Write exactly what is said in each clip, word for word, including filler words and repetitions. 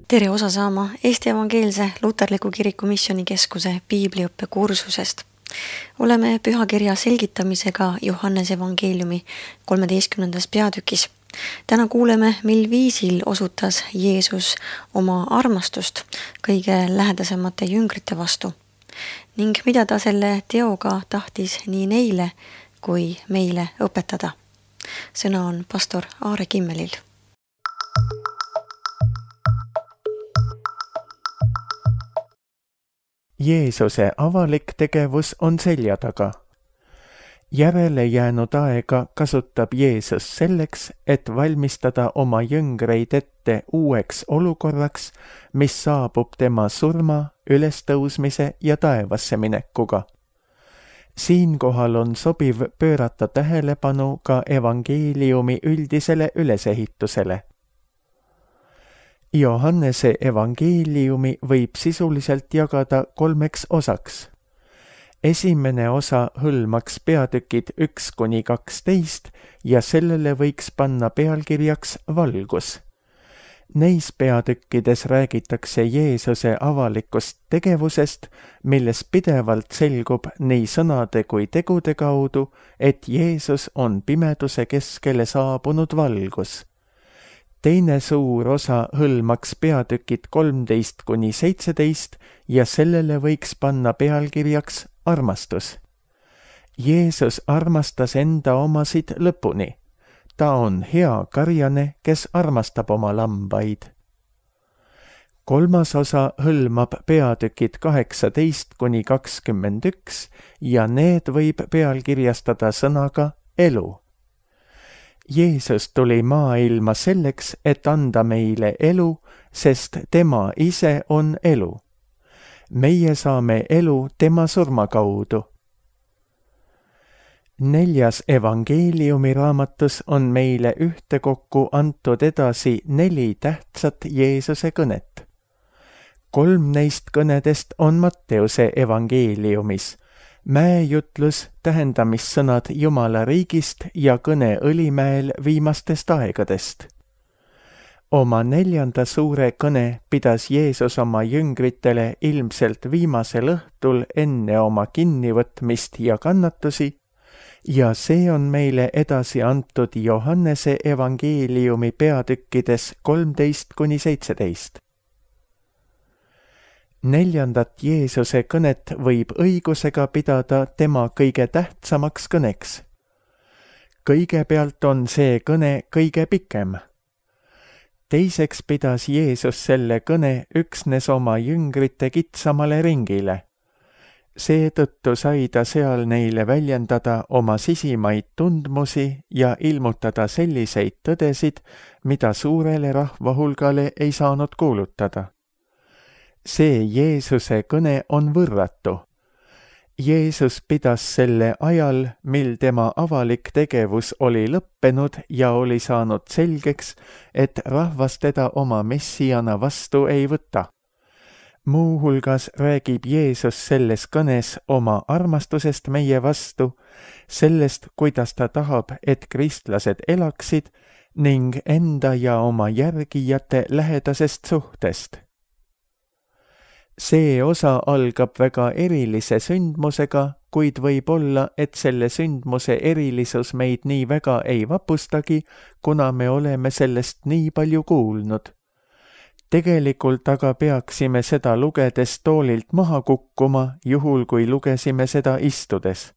Tere osa saama Eesti Evangeelse Luterliku Kiriku Missioonikeskuse piibliõppe kursusest. Oleme pühakirja selgitamisega Johannese evangeeliumi kolmeteistkümnendas peatükis. Täna kuuleme, mil viisil osutas Jeesus oma armastust kõige lähedasemate jüngrite vastu ning mida ta selle teoga tahtis nii neile kui meile õpetada. Sõna on pastor Aare Kimmelil. Jeesuse avalik tegevus on selja taga. Järele jäänud aega kasutab Jeesus selleks, et valmistada oma jüngreid ette uueks olukorraks, mis saabub tema surma, ülestõusmise ja taevasse minekuga. Siinkohal on sobiv pöörata tähelepanu ka evangeeliumi üldisele ülesehitusele. Johannese evangeeliumi võib sisuliselt jagada kolmeks osaks. Esimene osa hõlmaks peatükid üks kuni kaksteist ja sellele võiks panna pealkirjaks valgus. Neis peatükkides räägitakse Jeesuse avalikust tegevusest, milles pidevalt selgub nii sõnade kui tegude kaudu, et Jeesus on pimeduse keskele saabunud valgus. Teine suur osa hõlmaks peatükid kolmteist kuni seitseteist ja sellele võiks panna pealkirjaks armastus. Jeesus armastas enda omasid lõpuni. Ta on hea karjane, kes armastab oma lambaid. Kolmas osa hõlmab peatükid kaheksateist kuni kakskümmend üks ja need võib pealkirjastada sõnaga elu. Jeesus tuli maailma selleks, et anda meile elu, sest tema ise on elu. Meie saame elu tema surma kaudu. Neljas evangeeliumi raamatus on meile ühtekokku antud edasi neli tähtsat Jeesuse kõnet. Kolm neist kõnedest on Matteuse evangeeliumis. Mäejutlus, tähendamissõnad Jumala riigist ja kõne Õlimäel viimastest aegadest. Oma neljanda suure kõne pidas Jeesus oma jüngritele ilmselt viimasel õhtul enne oma kinnivõtmist ja kannatusi ja see on meile edasi antud Johannese evangeeliumi peatükkides kolmteist kuni seitseteist. Neljandat Jeesuse kõnet võib õigusega pidada tema kõige tähtsamaks kõneks. Kõigepealt on see kõne kõige pikem. Teiseks pidas Jeesus selle kõne üksnes oma jüngrite kitsamale ringile. Seetõttu sai ta seal neile väljendada oma sisimaid tundmusi ja ilmutada selliseid tõdesid, mida suurele rahvahulgale ei saanud kuulutada. See Jeesuse kõne on võrratu. Jeesus pidas selle ajal, mil tema avalik tegevus oli lõppenud ja oli saanud selgeks, et rahvas teda oma messiana vastu ei võta. Muuhulgas räägib Jeesus selles kõnes oma armastusest meie vastu, sellest, kuidas ta tahab, et kristlased elaksid ning enda ja oma järgijate lähedasest suhtest. See osa algab väga erilise sündmusega, kuid võib olla, et selle sündmuse erilisus meid nii väga ei vapustagi, kuna me oleme sellest nii palju kuulnud. Tegelikult aga peaksime seda lugedes toolilt maha kukkuma, juhul kui lugesime seda istudes.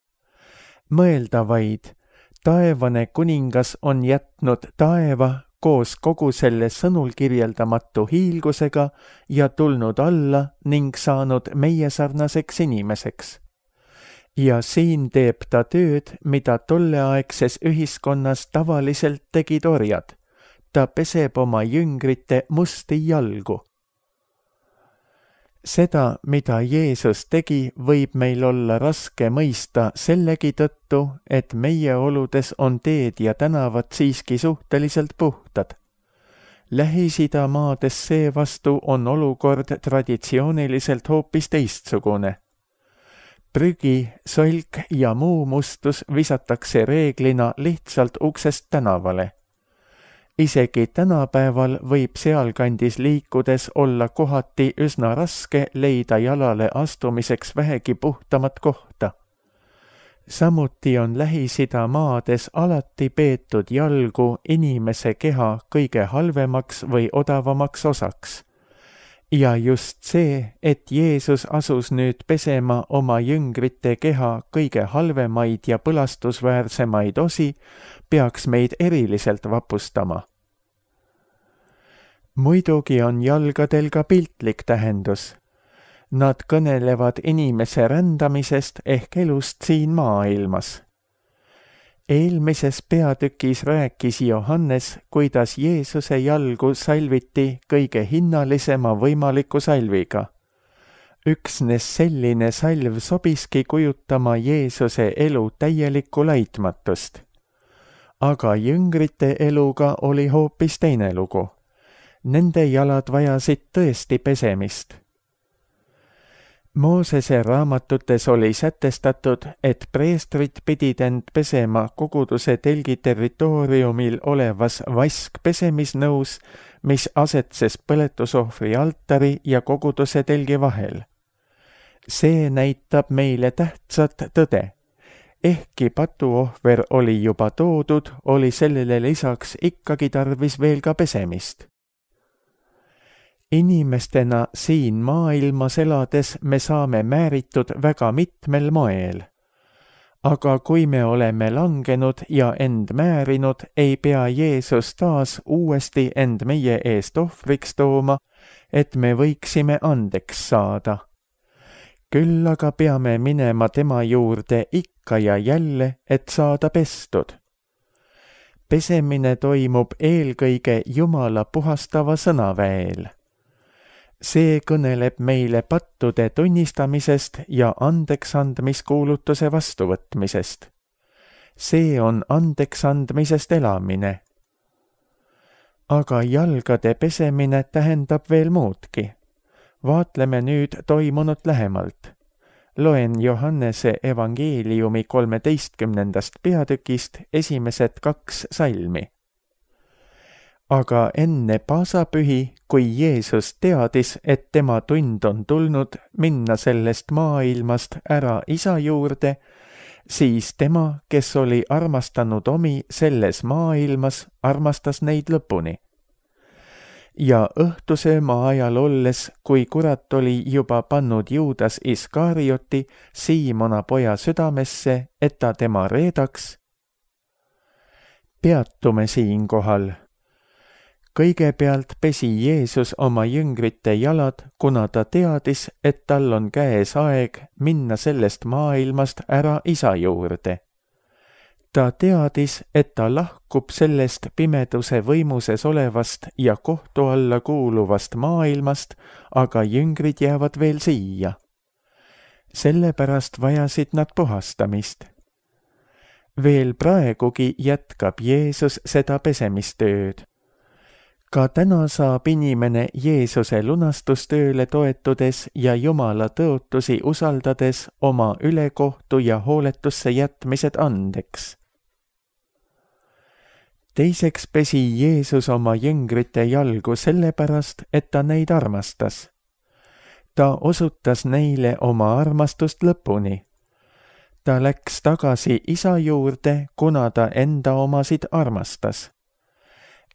Mõelda vaid, taevane kuningas on jätnud taeva koos kogu selle sõnul kirjeldamatu hiilgusega ja tulnud alla ning saanud meie sarnaseks inimeseks. Ja siin teeb ta tööd, mida tolleaegses ühiskonnas tavaliselt tegid orjad. Ta peseb oma jüngrite musti jalgu. Seda, mida Jeesus tegi, võib meil olla raske mõista sellegi tõttu, et meie oludes on teed ja tänavad siiski suhteliselt puhtad. Lähis-Ida maades seevastu on olukord traditsiooniliselt hoopis teistsugune. Prügi, solk ja muu mustus visatakse reeglina lihtsalt uksest tänavale. isegi tänapäeval võib sealkandis liikudes olla kohati üsna raske leida jalale astumiseks vähegi puhtamat kohta. Samuti on Lähis-Ida maades alati peetud jalgu inimese keha kõige halvemaks või odavamaks osaks. Ja just see, et Jeesus asus nüüd pesema oma jüngrite keha kõige halvemaid ja põlastusväärsemaid osi, peaks meid eriliselt vapustama. Muidugi on jalgadel ka piltlik tähendus. Nad kõnelevad inimese rändamisest ehk elust siin maailmas. Eelmises peatükis rääkis Johannes, kuidas Jeesuse jalgu salviti kõige hinnalisema võimaliku salviga. Üksnes selline salv sobiski kujutama Jeesuse elu täielikku laitmatust. Aga jüngrite eluga oli hoopis teine lugu. Nende jalad vajasid tõesti pesemist. Moosese raamatutes oli sätestatud, et preestrid pidid end pesema koguduse telgi territooriumil olevas vaskpesemisnõus, mis asetses põletusohvri altari ja koguduse telgi vahel. See näitab meile tähtsat tõde. Ehkki patuohver oli juba toodud, oli sellele lisaks ikkagi tarvis veel ka pesemist. Inimestena siin maailmas elades me saame määritud väga mitmel moel. Aga kui me oleme langenud ja end määrinud, ei pea Jeesus taas uuesti end meie eest ohvriks tooma, et me võiksime andeks saada. Küll aga peame minema tema juurde ikka ja jälle, et saada pestud. Pesemine toimub eelkõige Jumala puhastava sõnaväel. See kõneleb meile pattude tunnistamisest ja andeksandmiskuulutuse vastuvõtmisest. See on andeksandmisest elamine. Aga jalgade pesemine tähendab veel muudki. Vaatleme nüüd toimunut lähemalt. Loen Johannese evangeeliumi kolmeteistkümnendast peatükist esimesed kaks salmi. Aga enne paasapühi, kui Jeesus teadis, et tema tund on tulnud minna sellest maailmast ära Isa juurde, siis tema, kes oli armastanud omi selles maailmas, armastas neid lõpuni. Ja õhtusööma ajal olles, kui kurat oli juba pannud Juudas Iskarioti Siimona poja südamesse, et ta tema reedaks, peatume siinkohal. Kõigepealt pesi Jeesus oma jüngrite jalad, kuna ta teadis, et tal on käes aeg minna sellest maailmast ära Isa juurde. Ta teadis, et ta lahkub sellest pimeduse võimuses olevast ja kohtu alla kuuluvast maailmast, aga jüngrid jäävad veel siia. Sellepärast vajasid nad puhastamist. Veel praegugi jätkab Jeesus seda pesemistööd. Ka täna saab inimene Jeesuse lunastustööle toetudes ja Jumala tõotusi usaldades oma ülekohtu ja hooletusse jätmised andeks. Teiseks pesi Jeesus oma jüngrite jalgu sellepärast, et ta neid armastas. Ta osutas neile oma armastust lõpuni. Ta läks tagasi Isa juurde, kuna ta enda omasid armastas.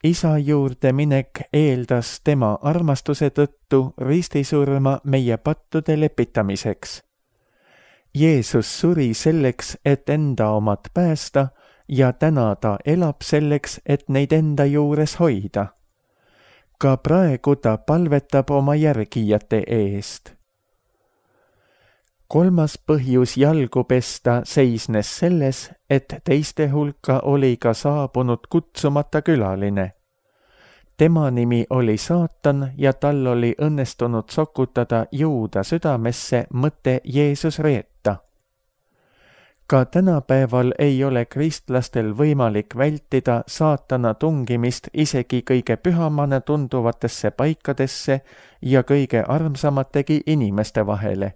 Isa juurde minek eeldas tema armastuse tõttu ristisurma meie pattude lepitamiseks. Jeesus suri selleks, et enda omad päästa, ja täna ta elab selleks, et neid enda juures hoida. Ka praegu ta palvetab oma järgijate eest. Kolmas põhjus jalgu pesta seisnes selles, et teiste hulka oli ka saabunud kutsumata külaline. Tema nimi oli Saatan ja tal oli õnnestunud sokutada Juuda südamesse mõte Jeesus reeta. Ka tänapäeval ei ole kristlastel võimalik vältida saatana tungimist isegi kõige pühamana tunduvatesse paikadesse ja kõige armsamategi inimeste vahele.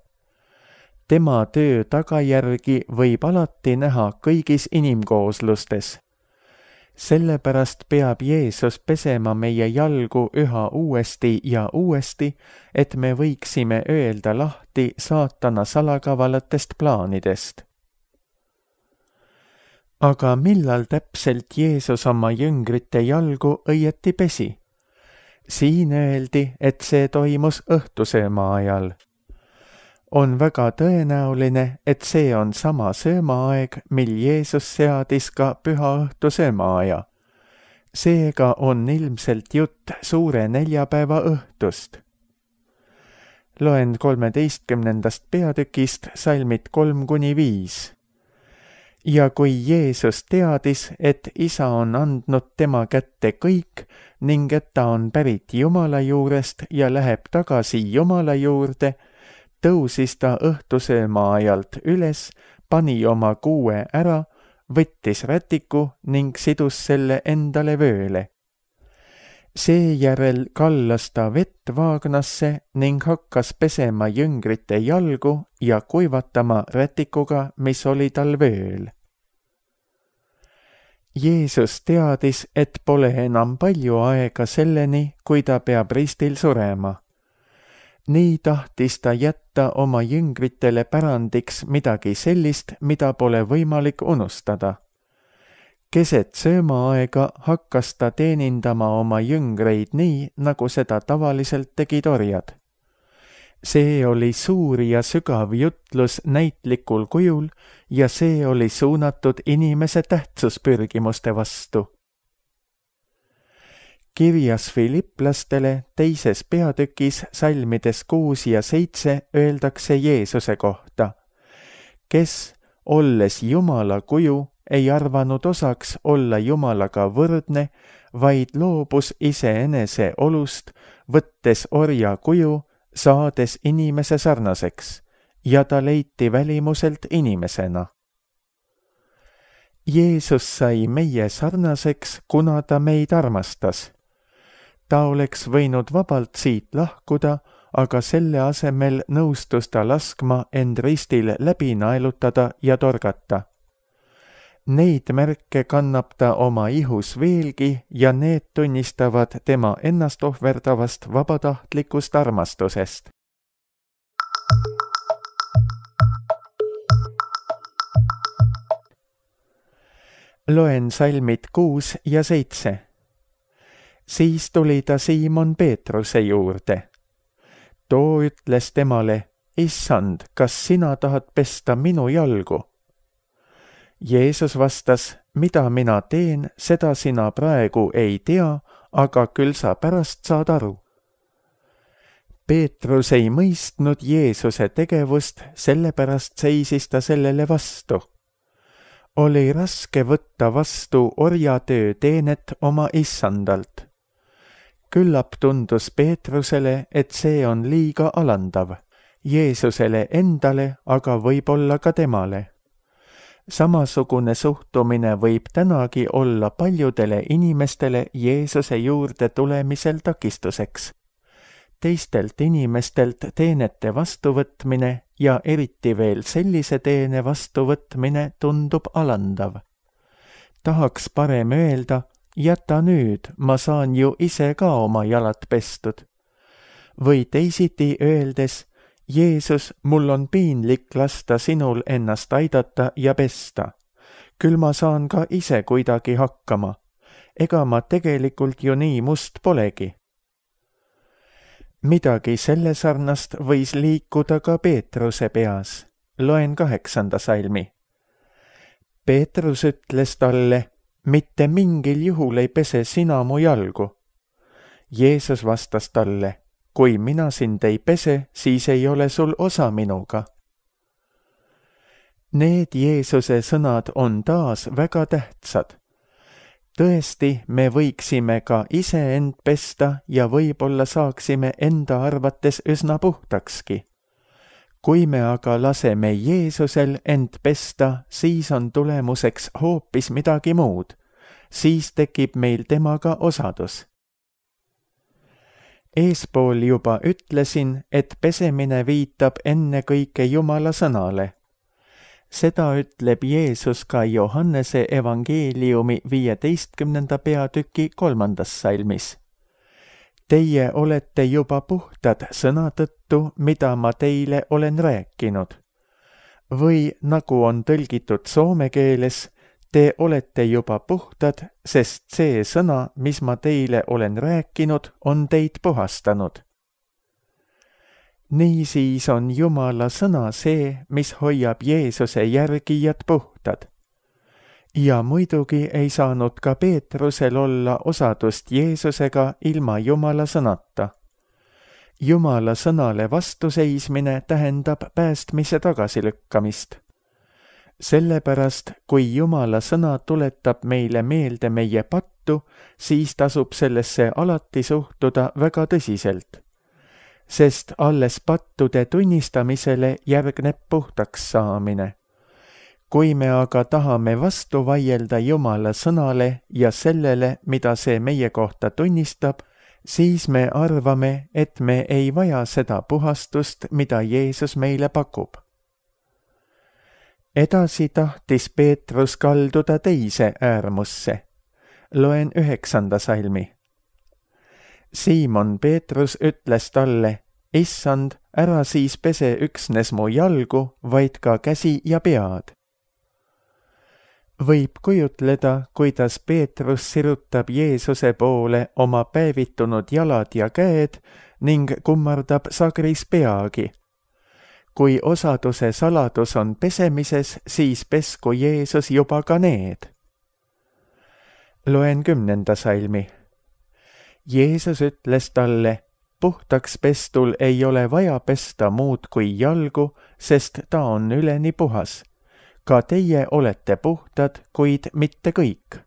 Tema töö tagajärgi võib alati näha kõigis inimkooslustes. Sellepärast peab Jeesus pesema meie jalgu üha uuesti ja uuesti, et me võiksime öelda lahti saatana salakavalatest plaanidest. Aga millal täpselt Jeesus oma jüngrite jalgu õieti pesi? Siin öeldi, et see toimus õhtusööma ajal. On väga tõenäoline, et see on sama söömaaeg, mil Jeesus seadis ka püha õhtu söömaaja. Seega on ilmselt jutt suure neljapäeva õhtust. Loen kolmeteistkümnendast peatükist salmid kolm kuni viis. Ja kui Jeesus teadis, et Isa on andnud tema kätte kõik ning et ta on pärit Jumala juurest ja läheb tagasi Jumala juurde, tõusis ta õhtusööma ajalt üles, pani oma kuue ära, võttis rätiku ning sidus selle endale vööle. Seejärel kallas ta vett vaagnasse ning hakkas pesema jüngrite jalgu ja kuivatama rätikuga, mis oli tal vööl. Jeesus teadis, et pole enam palju aega selleni, kui ta peab ristil surema. Nii tahtis ta jätta oma jüngritele pärandiks midagi sellist, mida pole võimalik unustada. Keset söömaaega hakkas ta teenindama oma jüngreid nii, nagu seda tavaliselt tegid orjad. See oli suur ja sügav jutlus näitlikul kujul ja see oli suunatud inimese tähtsuspürgimuste vastu. Kirjas Filipplastele teises peatükis salmides kuus ja seitse öeldakse Jeesuse kohta, kes, olles Jumala kuju, ei arvanud osaks olla Jumalaga võrdne, vaid loobus iseenese olust, võttes orja kuju, saades inimese sarnaseks, ja ta leiti välimuselt inimesena. Jeesus sai meie sarnaseks, kuna ta meid armastas. Ta oleks võinud vabalt siit lahkuda, aga selle asemel nõustus ta laskma end ristil läbi naelutada ja torgata. Neid märke kannab ta oma ihus veelgi ja need tunnistavad tema ennast ohverdavast vabatahtlikust armastusest. Loen salmid kuus ja seitse. Siis tuli ta Siimon Peetruse juurde. Too ütles temale, Issand, kas sina tahad pesta minu jalgu? Jeesus vastas, mida mina teen, seda sina praegu ei tea, aga küll sa pärast saad aru. Peetrus ei mõistnud Jeesuse tegevust, sellepärast seisis ta sellele vastu. Oli raske võtta vastu orjatöö teenet oma issandalt. Küllap tundus Peetrusele, et see on liiga alandav. Jeesusele endale, aga võib-olla ka temale. Samasugune suhtumine võib tänagi olla paljudele inimestele Jeesuse juurde tulemisel takistuseks. Teistelt inimestelt teenete vastuvõtmine ja eriti veel sellise teene vastuvõtmine tundub alandav. Tahaks parem öelda, jäta nüüd, ma saan ju ise ka oma jalad pestud. Või teisiti öeldes, Jeesus, mul on piinlik lasta sinul ennast aidata ja pesta. Küll ma saan ka ise kuidagi hakkama. Ega ma tegelikult ju nii must polegi. Midagi selle sarnast võis liikuda ka Peetruse peas. Loen kaheksanda salmi. Peetrus ütles talle, mitte mingil juhul ei pese sina mu jalgu. Jeesus vastas talle, kui mina sind ei pese, siis ei ole sul osa minuga. Need Jeesuse sõnad on taas väga tähtsad. Tõesti, me võiksime ka ise end pesta ja võib-olla saaksime enda arvates üsna puhtakski. Kui me aga laseme Jeesusel end pesta, siis on tulemuseks hoopis midagi muud. Siis tekib meil temaga osadus. Eespool juba ütlesin, et pesemine viitab ennekõike Jumala sõnale. seda ütleb Jeesus ka Johannese evangeeliumi viieteistkümnenda peatüki kolmandas salmis. Teie olete juba puhtad sõna tõttu, mida ma teile olen rääkinud. Või nagu on tõlgitud soome keeles, te olete juba puhtad, sest see sõna, mis ma teile olen rääkinud, on teid puhastanud. Niisiis on Jumala sõna see, mis hoiab Jeesuse järgijad puhtad. Ja muidugi ei saanud ka Peetrusel olla osadust Jeesusega ilma Jumala sõnata. Jumala sõnale vastuseismine tähendab päästmise tagasilükkamist. Sellepärast, kui Jumala sõna tuletab meile meelde meie pattu, siis tasub sellesse alati suhtuda väga tõsiselt. Sest alles pattude tunnistamisele järgneb puhtaks saamine. Kui me aga tahame vastu vaielda Jumala sõnale ja sellele, mida see meie kohta tunnistab, siis me arvame, et me ei vaja seda puhastust, mida Jeesus meile pakub. Edasi tahtis Peetrus kalduda teise äärmusse. Loen üheksanda salmi. Siimon Peetrus ütles talle, Issand, ära siis pese üksnes mu jalgu, vaid ka käsi ja pead. Võib kujutleda, kuidas Peetrus sirutab Jeesuse poole oma päevitunud jalad ja käed ning kummardab sagris peagi. Kui osaduse saladus on pesemises, siis pesku Jeesus juba ka need. Loen kümnenda salmi. Jeesus ütles talle, puhtaks pestul ei ole vaja pesta muud kui jalgu, sest ta on üleni puhas. Ka teie olete puhtad, kuid mitte kõik.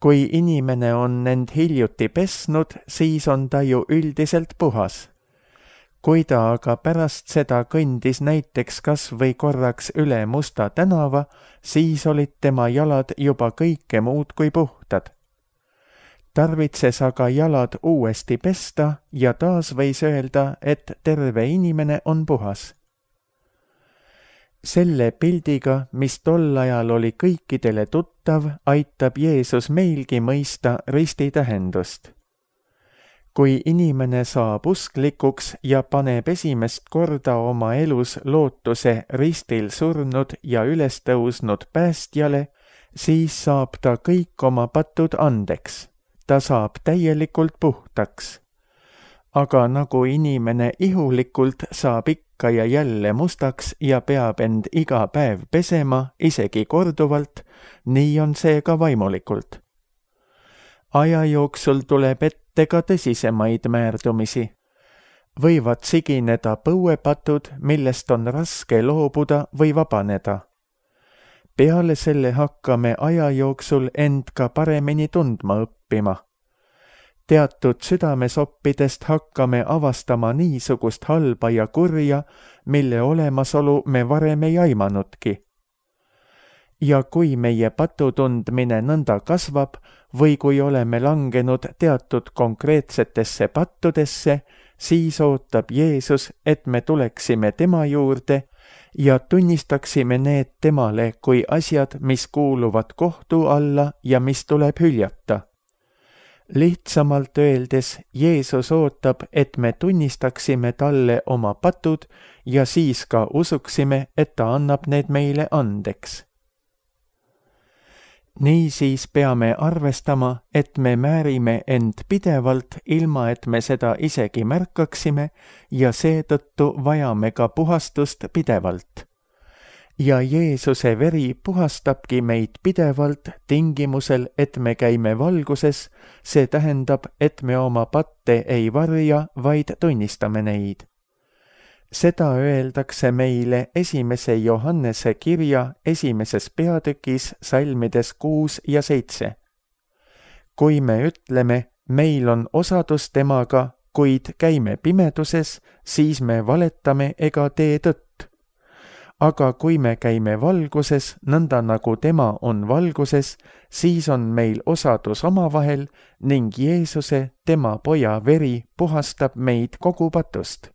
Kui inimene on end hiljuti pesnud, siis on ta ju üldiselt puhas. Kui ta aga pärast seda kõndis näiteks kas või korraks üle Musta tänava, siis olid tema jalad juba kõike muud kui puhtad. Tarvitses aga jalad uuesti pesta ja taas võis öelda, et terve inimene on puhas. Selle pildiga, mis tol ajal oli kõikidele tuttav, aitab Jeesus meilgi mõista risti tähendust. Kui inimene saab usklikuks ja paneb esimest korda oma elus lootuse ristil surnud ja üles tõusnud päästjale, siis saab ta kõik oma patud andeks. Ta saab täielikult puhtaks. Aga nagu inimene ihulikult saab ikka ja jälle mustaks ja peab end iga päev pesema, isegi korduvalt, nii on see ka vaimulikult. Aja jooksul tuleb ette ka tõsisemaid määrdumisi. Võivad sigineda põuepatud, millest on raske loobuda või vabaneda. Peale selle hakkame aja jooksul end ka paremini tundma õppima. Teatud südamesoppidest hakkame avastama niisugust halba ja kurja, mille olemasolu me varem ei aimanudki. Ja kui meie patu tundmine nõnda kasvab või kui oleme langenud teatud konkreetsetesse pattudesse, siis ootab Jeesus, et me tuleksime tema juurde ja tunnistaksime need temale kui asjad, mis kuuluvad kohtu alla ja mis tuleb hüljata. Lihtsamalt öeldes, Jeesus ootab, et me tunnistaksime talle oma patud ja siis ka usuksime, et ta annab need meile andeks. Niisiis peame arvestama, et me määrime end pidevalt, ilma et me seda isegi märkaksime ja seetõttu vajame ka puhastust pidevalt. Ja Jeesuse veri puhastabki meid pidevalt tingimusel, et me käime valguses, see tähendab, et me oma patte ei varja, vaid tunnistame neid. Seda öeldakse meile esimese Johannese kirja esimeses peatükis salmides kuus ja seitse. Kui me ütleme, meil on osadus temaga, kuid käime pimeduses, siis me valetame ega tee tõtt. Aga kui me käime valguses, nõnda nagu tema on valguses, siis on meil osadus omavahel ning Jeesuse, tema poja veri, puhastab meid kogu patust.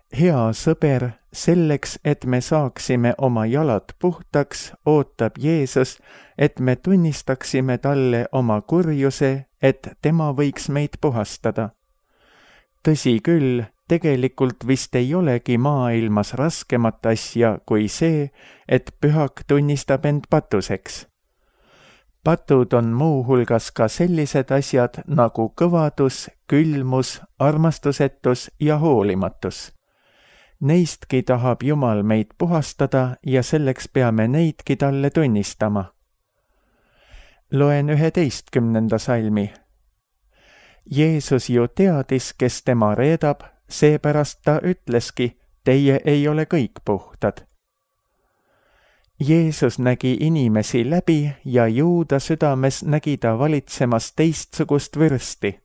Hea sõber, selleks, et me saaksime oma jalad puhtaks, ootab Jeesus, et me tunnistaksime talle oma kurjuse, et tema võiks meid puhastada. Tõsi küll, tegelikult vist ei olegi maailmas raskemat asja kui see, et pühak tunnistab end patuseks. Patud on muuhulgas ka sellised asjad nagu kõvadus, külmus, armastusetus ja hoolimatus. Neistki tahab Jumal meid puhastada ja selleks peame neidki talle tunnistama. Loen üheteistkümnenda salmi. Jeesus ju teadis, kes tema reedab, seepärast ta ütleski, teie ei ole kõik puhtad. Jeesus nägi inimesi läbi ja Juuda südames nägi ta valitsemas teistsugust vürsti.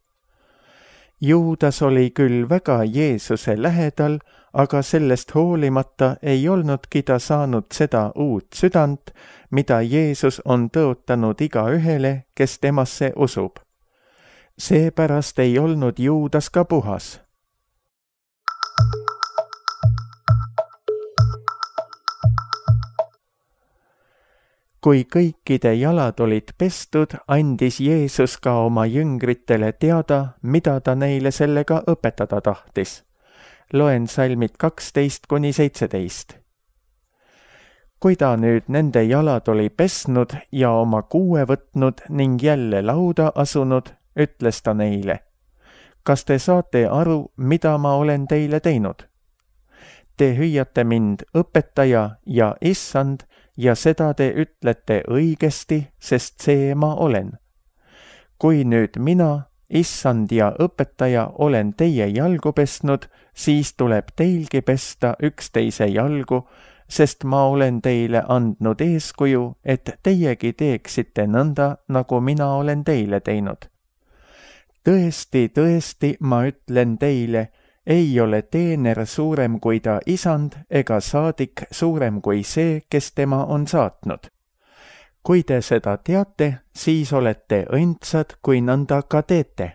Juudas oli küll väga Jeesuse lähedal, aga sellest hoolimata ei olnudki ta saanud seda uut südant, mida Jeesus on tõotanud igaühele, kes temasse usub. Seepärast ei olnud Juudas ka puhas. Kui kõikide jalad olid pestud, andis Jeesus ka oma jüngritele teada, mida ta neile sellega õpetada tahtis. Loen salmid kaksteist kuni seitseteist. Kui ta nüüd nende jalad oli pesnud ja oma kuue võtnud ning jälle lauda asunud, ütles ta neile, kas te saate aru, mida ma olen teile teinud? Te hüüate mind õpetaja ja issand ja seda te ütlete õigesti, sest see ma olen. Kui nüüd mina, issand ja õpetaja, olen teie jalgu pesnud, siis tuleb teilgi pesta üksteise jalgu, sest ma olen teile andnud eeskuju, et teiegi teeksite nõnda, nagu mina olen teile teinud. Tõesti, tõesti, ma ütlen teile, ei ole teener suurem kui ta isand ega saadik suurem kui see, kes tema on saatnud. Kui te seda teate, siis olete õndsad, kui nõnda ka teete.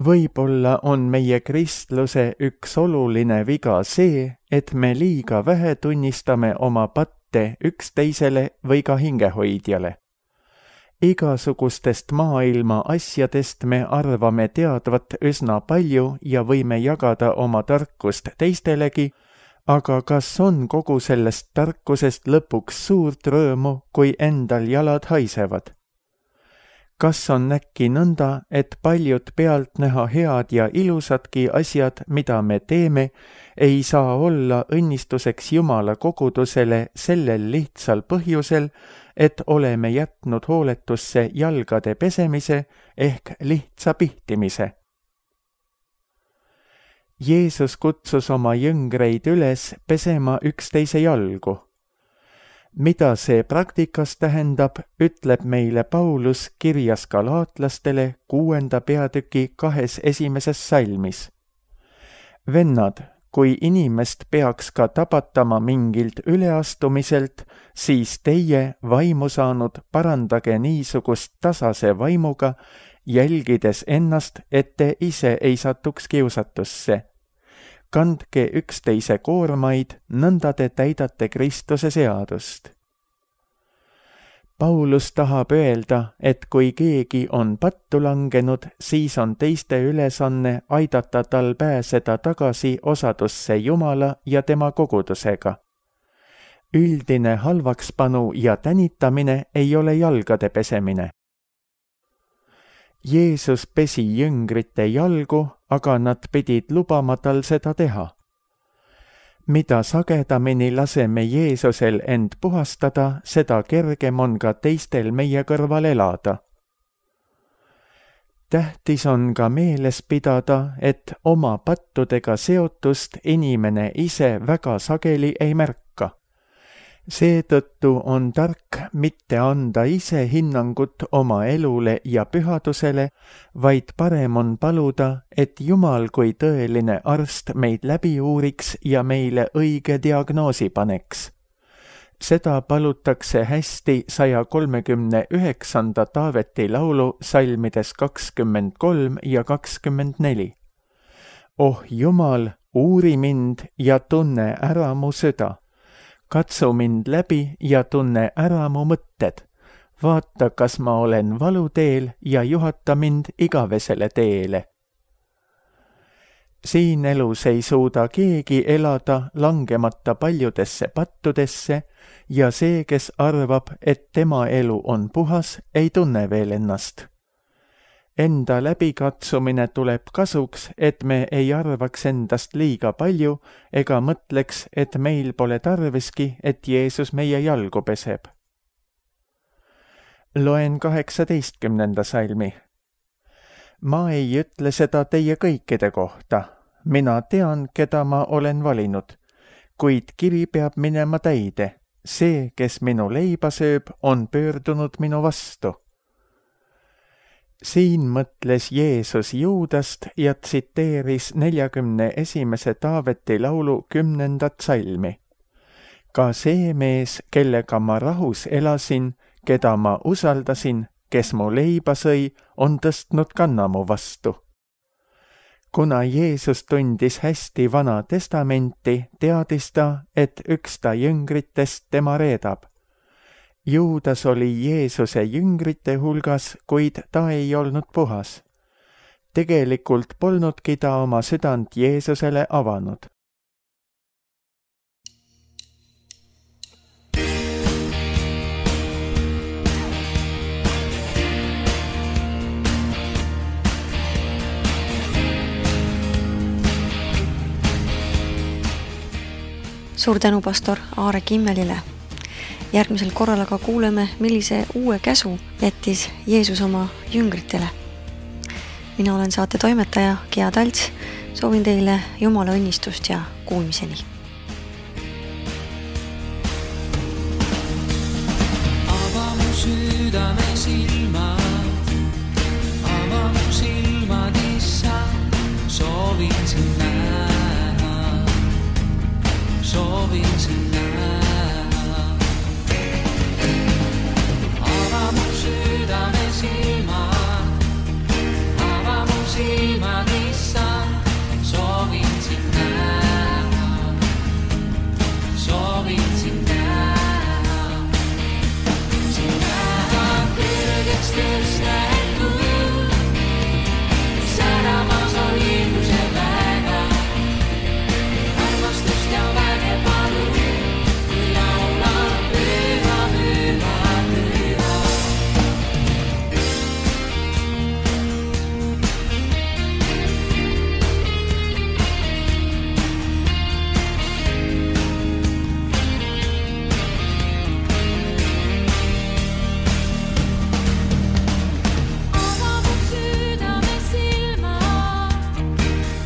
Võib-olla on meie kristluse üks oluline viga see, et me liiga vähe tunnistame oma patte üksteisele või ka hingehoidjale. Igasugustest maailma asjadest me arvame teadvat üsna palju ja võime jagada oma tarkust teistelegi, aga kas on kogu sellest tarkusest lõpuks suurt rõõmu, kui endal jalad haisevad? Kas on äkki nõnda, et paljud pealtnäha head ja ilusadki asjad, mida me teeme, ei saa olla õnnistuseks Jumala kogudusele sellel lihtsal põhjusel, et oleme jätnud hooletusse jalgade pesemise ehk lihtsa pihtimise? Jeesus kutsus oma jüngreid üles pesema üksteise jalgu. Mida see praktikas tähendab, ütleb meile Paulus kirjas galaatlastele kuuenda peatüki kahes esimeses salmis. Vennad, kui inimest peaks ka tabatama mingilt üleastumiselt, siis teie, vaimu saanud, parandage niisugust tasase vaimuga, jälgides ennast, et te ise ei satuks kiusatusse. Kandke üksteise koormaid, nõnda te täidate Kristuse seadust. Paulus tahab öelda, et kui keegi on pattu langenud, siis on teiste ülesanne aidata tal pääseda tagasi osadusse Jumala ja tema kogudusega. Üldine halvakspanu ja tänitamine ei ole jalgade pesemine. Jeesus pesi jüngrite jalgu, aga nad pidid lubama tal seda teha. Mida sagedamini laseme Jeesusel end puhastada, seda kergem on ka teistel meie kõrval elada. Tähtis on ka meeles pidada, et oma pattudega seotust inimene ise väga sageli ei märka. Seetõttu on tark mitte anda ise hinnangut oma elule ja pühadusele, vaid parem on paluda, et Jumal kui tõeline arst meid läbi uuriks ja meile õige diagnoosi paneks. Seda palutakse hästi saja kolmekümne üheksanda Taaveti laulu salmides kakskümmend kolm ja kakskümmend neli. Oh Jumal, uuri mind ja tunne ära mu süda. Katsu mind läbi ja tunne ära mu mõtted. Vaata, kas ma olen valuteel ja juhata mind igavesele teele. Siin elus ei suuda keegi elada langemata paljudesse pattudesse ja see, kes arvab, et tema elu on puhas, ei tunne veel ennast. Enda läbikatsumine tuleb kasuks, et me ei arvaks endast liiga palju ega mõtleks, et meil pole tarviski, et Jeesus meie jalgu peseb. Loen kaheksateistkümnenda salmi. Ma ei ütle seda teie kõikide kohta. Mina tean, keda ma olen valinud, kuid kiri peab minema täide. See, kes minu leiba sööb, on pöördunud minu vastu. Siin mõtles Jeesus Juudast ja tsiteeris neljakümne esimese Taaveti laulu kümnendat salmi. Ka see mees, kellega ma rahus elasin, keda ma usaldasin, kes mu leiba sõi, on tõstnud kanna mu vastu. Kuna Jeesus tundis hästi Vana Testamenti, teadis ta, et üks ta jüngritest tema reedab. Juudas oli Jeesuse jüngrite hulgas, kuid ta ei olnud puhas. Tegelikult polnudki ta oma südant Jeesusele avanud. Suur tänu pastor Aare Kimmelile. Järgmisel korral aga kuuleme, millise uue käsu jättis Jeesus oma jüngritele. Mina olen saate toimetaja Gea Talts. Soovin teile Jumala õnnistust ja kuulmiseni. Ava mu südame silmad, ava mu silmad, issand, soovin sind näha, soovin sind näha. Ava mu südame silmad, ava mu silmad, issand, soovin sind näha, soovin sind näha. Sind näha kõrgeks tõstetud, säramas on ilmuse väga, armastust ja väge palun, kui laulan püha, püha, püha. Ava mu südame silmad,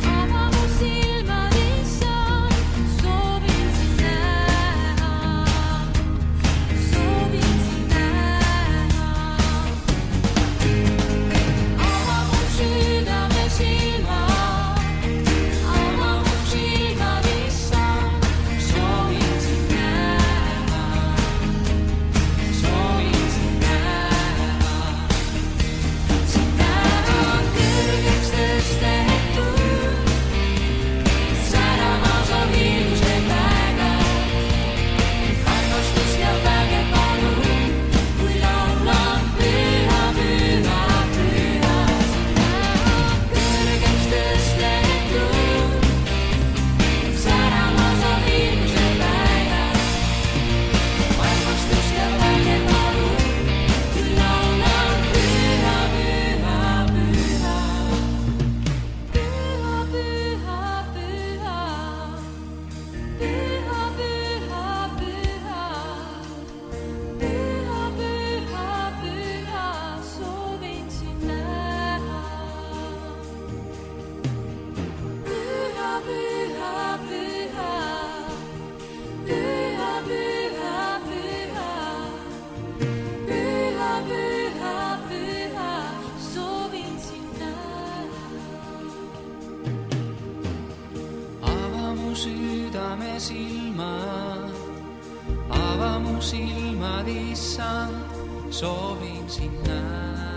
ava mu silmad, issand, soovin sind näha, soovin sind näha. Ava mu südame silmad, ava mu silmad, issand, soovin sind näha, soovin sind näha. Sind näha kõrgeks tõstetud, säramas on ilmuse väga, armastust ja väge palun, kui laulan püha, püha, püha. Sind näha kõrgeks tõstetud, säramas on ilmuse väga, armastust ja väge palun, kui laulan püha, püha, püha. Püha, püha, püha, püha, püha, püha, püha, püha, püha, soovin sind näha. Püha, püha, püha, püha, püha, püha, püha, püha, püha, soovin sind näha. Ava mu südame silmad, ava mu silmad, issand, soovin sind näha.